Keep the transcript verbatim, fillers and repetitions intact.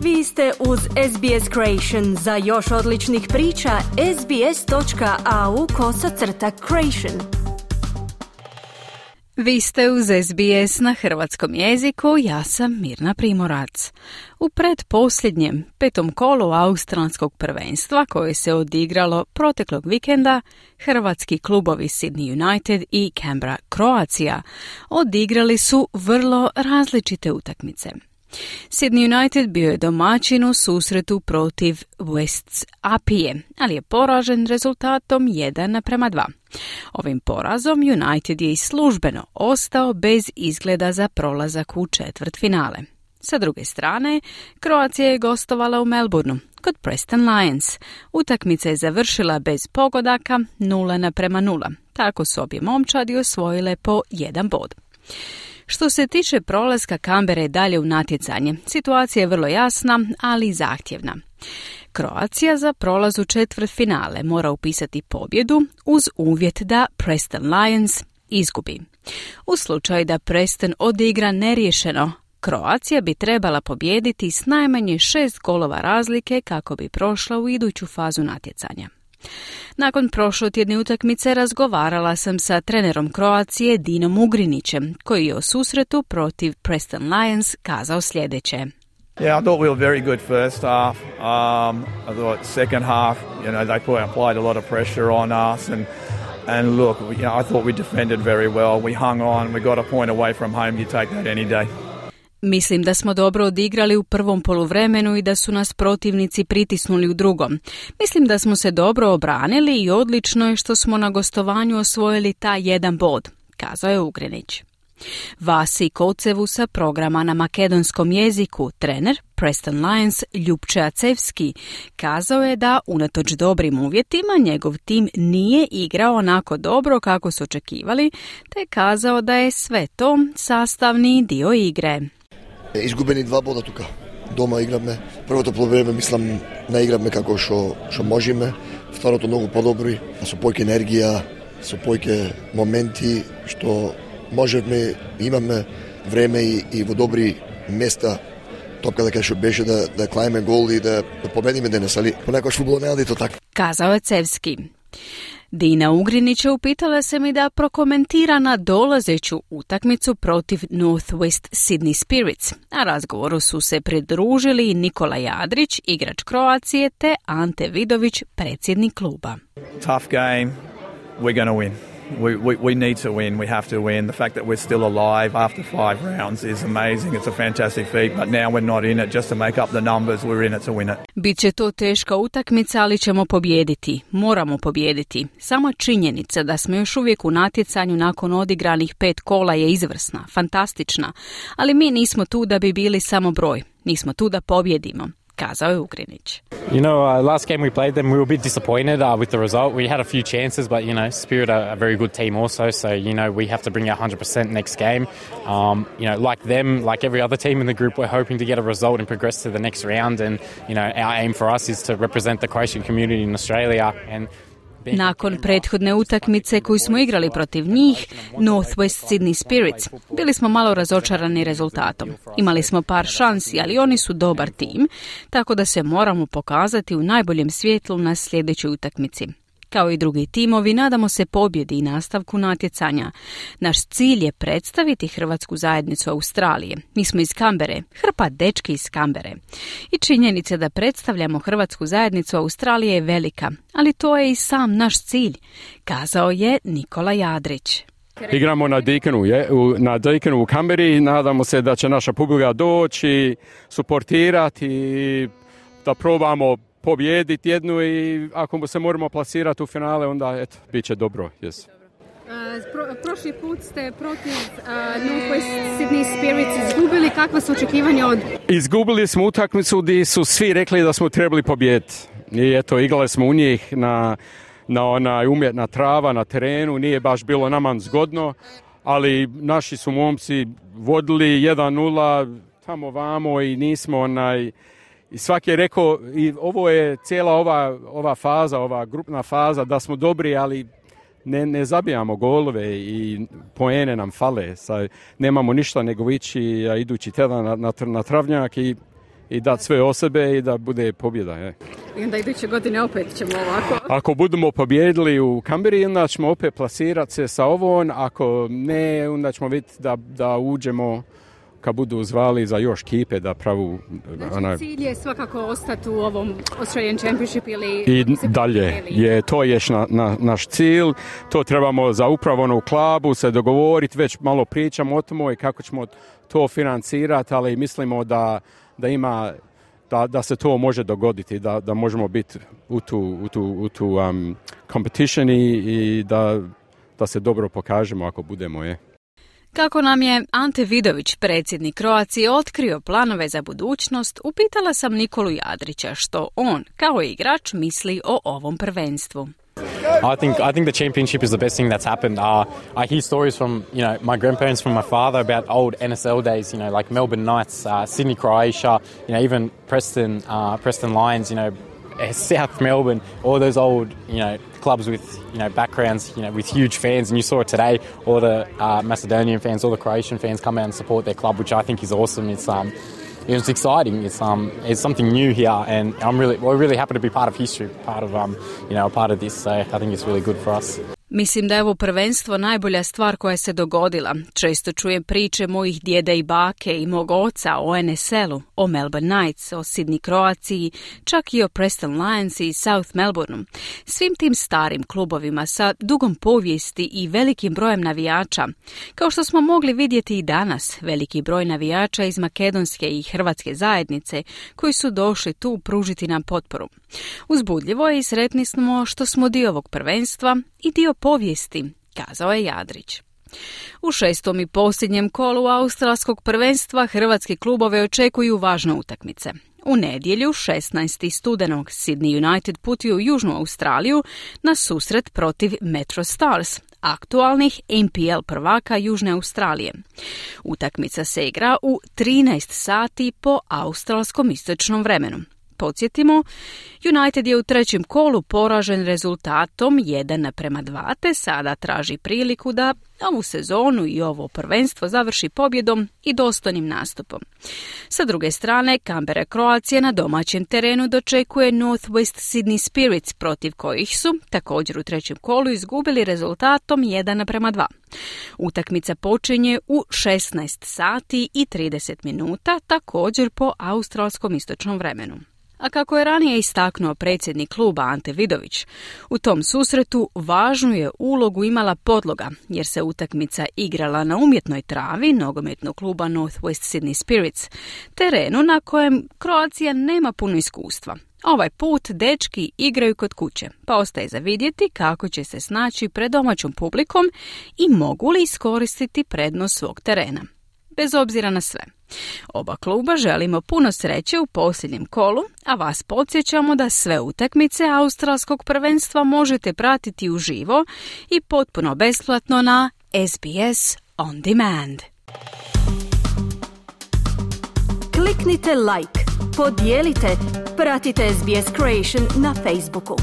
Vi ste uz S B S Creation. Za još odličnih priča, sbs.au kosacrta creation. Vi ste uz S B S na hrvatskom jeziku, ja sam Mirna Primorac. U predposljednjem petom kolu australskog prvenstva koje se odigralo proteklog vikenda, hrvatski klubovi Sydney United i Canberra Croatia odigrali su vrlo različite utakmice. Sydney United bio je domaćin u susretu protiv Wests Apije, ali je poražen rezultatom jedan naprema dva. Ovim porazom United je i službeno ostao bez izgleda za prolazak u četvrtfinale. Sa druge strane, Kroacija je gostovala u Melbourneu kod Preston Lions. Utakmica je završila bez pogodaka nula naprema nula. Tako su obje momčadi osvojile po jedan bod. Što se tiče prolaska Canberre dalje u natjecanje, situacija je vrlo jasna, ali i zahtjevna. Kroacija za prolaz u četvrtfinale mora upisati pobjedu uz uvjet da Preston Lions izgubi. U slučaju da Preston odigra neriješeno, Kroacija bi trebala pobijediti s najmanje šest golova razlike kako bi prošla u iduću fazu natjecanja. Nakon prošlotjedne utakmice razgovarala sam sa trenerom Kroacije Dinom Ugrinićem, koji je o susretu protiv Preston Lions kazao sljedeće. Yeah, I thought we were very good first half. Um, I thought second half, you know, they put, applied a lot of pressure on us, and and look, you know, I thought we defended very well. We hung on. We got a point away from home. You take that any day. Mislim da smo dobro odigrali u prvom poluvremenu i da su nas protivnici pritisnuli u drugom. Mislim da smo se dobro obranili i odlično je što smo na gostovanju osvojili taj jedan bod, kazao je Ugrinić. Vasi Kocevu sa programa na makedonskom jeziku, trener Preston Lions Ljupče Acevski, kazao je da unatoč dobrim uvjetima njegov tim nije igrao onako dobro kako su očekivali, te kazao da je sve to sastavni dio igre. Izgubeni dva boda tuka. Doma igrame. Prvото полувреме мислам не играме како што што можеме. Второто многу подобри, со појќе енергија, со појќе моменти што можеме, имаме време и, и во добри места. Топката кај што беше да да клајме гол и да, да победиме денес, али понекогаш фудбал не оди то така. Kazao je Cevski. Dina Ugrinića upitala se mi da prokomentira na dolazeću utakmicu protiv North West Sydney Spirits, a razgovoru su se pridružili Nikola Jadrić, igrač Kroacije, te Ante Vidović, predsjednik kluba. Tough game, we're going to win. We, we, we need to win, we have to win. The fact that we're still alive after five rounds is amazing. It's a fantastic feat, but now we're not in it just to make up the numbers, we're in it to win it. Biće to teška utakmica, ali ćemo pobijediti. Moramo pobijediti. Samo činjenica da smo još uvijek u natjecanju nakon odigranih pet kola je izvrsna, fantastična, ali mi nismo tu da bi bili samo broj. Nismo tu da pobjedimo, kazao je Ugrinić. You know, uh, last game we played them, we were a bit disappointed uh, with the result. We had a few chances, but, you know, Spirit are a very good team also, so, you know, we have to bring our one hundred percent next game. Um, you know, like them, like every other team in the group, we're hoping to get a result and progress to the next round, and, you know, our aim for us is to represent the Croatian community in Australia. And nakon prethodne utakmice koju smo igrali protiv njih, North West Sydney Spirits, bili smo malo razočarani rezultatom. Imali smo par šansi, ali oni su dobar tim, tako da se moramo pokazati u najboljem svjetlu na sljedećoj utakmici. Kao i drugi timovi, nadamo se pobjedi i nastavku natjecanja. Naš cilj je predstaviti hrvatsku zajednicu Australije. Mi smo iz Canberre, hrpa dečki iz Canberre. I činjenica da predstavljamo hrvatsku zajednicu Australije je velika, ali to je i sam naš cilj, kazao je Nikola Jadrić. Igramo na Deakonu, je, u, na Deakonu u Canberri, nadamo se da će naša publika doći, suportirati i da probamo pobijediti jednu i ako se moramo plasirati u finale, onda eto, bit će dobro. Yes. Pro, prošli put ste protiv uh, North West Sydney Spirits izgubili. Kakva su očekivanja od... Izgubili smo utakmicu gdje su svi rekli da smo trebali pobijediti. I eto, igrali smo u njih na, na onaj umjetna trava na terenu. Nije baš bilo nama zgodno, ali naši su momci vodili jedan nula tamo vamo i nismo onaj... I svaki je rekao, i ovo je cijela ova, ova faza, ova grupna faza, da smo dobri, ali ne, ne zabijamo golove i poene nam fale. Sa, nemamo ništa nego ići idući tjedan na, na, na travnjak i i dati sve od sebe i da bude pobjeda. Je. I onda iduće godine opet ćemo ovako. Ako budemo pobjedili u Kamberi, onda ćemo opet plasirati se sa ovom, ako ne, onda ćemo vidjeti da, da uđemo kad budu zvali za još kipe da pravu... Znači onaj... cilj je svakako ostati u ovom Australian Championship ili... I dalje, je, to je na, na, naš cilj, to trebamo za upravo ono u klubu se dogovoriti, već malo pričamo o tomu i kako ćemo to financirati, ali mislimo da, da ima... Da, da se to može dogoditi, da, da možemo biti u tu, u tu, u tu um, competition i, i da, da se dobro pokažemo ako budemo. Je. Kako nam je Ante Vidović, predsjednik Kroacije, otkrio planove za budućnost, upitala sam Nikolu Jadrića što on, kao igrač, misli o ovom prvenstvu. I think I think the championship is the best thing that's happened. Uh, I hear stories from you know my grandparents, from my father about old N S L days. You know, like Melbourne Knights, uh, Sydney Croatia. You know, even Preston uh, Preston Lions. You know, South Melbourne. All those old you know clubs with you know backgrounds. You know, with huge fans. And you saw it today. All the uh, Macedonian fans, all the Croatian fans come out and support their club, which I think is awesome. It's um. It's exciting. It's um, it's something new here, and I'm really, we're really happy to be part of history, part of um, you know, part of this. So I think it's really good for us. Mislim da je ovo prvenstvo najbolja stvar koja se dogodila. Često čujem priče mojih djeda i bake i mog oca o N S L-u, o Melbourne Knights, o Sydney Croaciji, čak i o Preston Lions i South Melbourneu. Svim tim starim klubovima sa dugom povijesti i velikim brojem navijača. Kao što smo mogli vidjeti i danas, veliki broj navijača iz makedonske i hrvatske zajednice koji su došli tu pružiti nam potporu. Uzbudljivo je i sretni smo što smo dio ovog prvenstva i dio povijesti, kazao je Jadrić. U šestom i posljednjem kolu australskog prvenstva hrvatski klubove očekuju važne utakmice. U nedjelju, šesnaestog studenog, Sydney United putuje u Južnu Australiju na susret protiv Metro Stars, aktualnih N P L prvaka Južne Australije. Utakmica se igra u trinaest sati po australskom istočnom vremenu. Podsjetimo, United je u trećem kolu poražen rezultatom jedan naprema dva, te sada traži priliku da ovu sezonu i ovo prvenstvo završi pobjedom i dostojnim nastupom. Sa druge strane, Kambera Kroacija na domaćem terenu dočekuje North West Sydney Spirits, protiv kojih su također u trećem kolu izgubili rezultatom jedan naprema dva. Utakmica počinje u šesnaest sati i trideset minuta, također po australskom istočnom vremenu. A kako je ranije istaknuo predsjednik kluba Ante Vidović, u tom susretu važnu je ulogu imala podloga, jer se utakmica igrala na umjetnoj travi nogometnog kluba North West Sydney Spirits, terenu na kojem Kroacija nema puno iskustva. Ovaj put dečki igraju kod kuće, pa ostaje za vidjeti kako će se snaći pred domaćom publikom i mogu li iskoristiti prednost svog terena. Bez obzira na sve, oba kluba želimo puno sreće u posljednjem kolu, a vas podsjećamo da sve utakmice australskog prvenstva možete pratiti uživo i potpuno besplatno na S B S On Demand. Kliknite like, podijelite, pratite S B S Creation na Facebooku.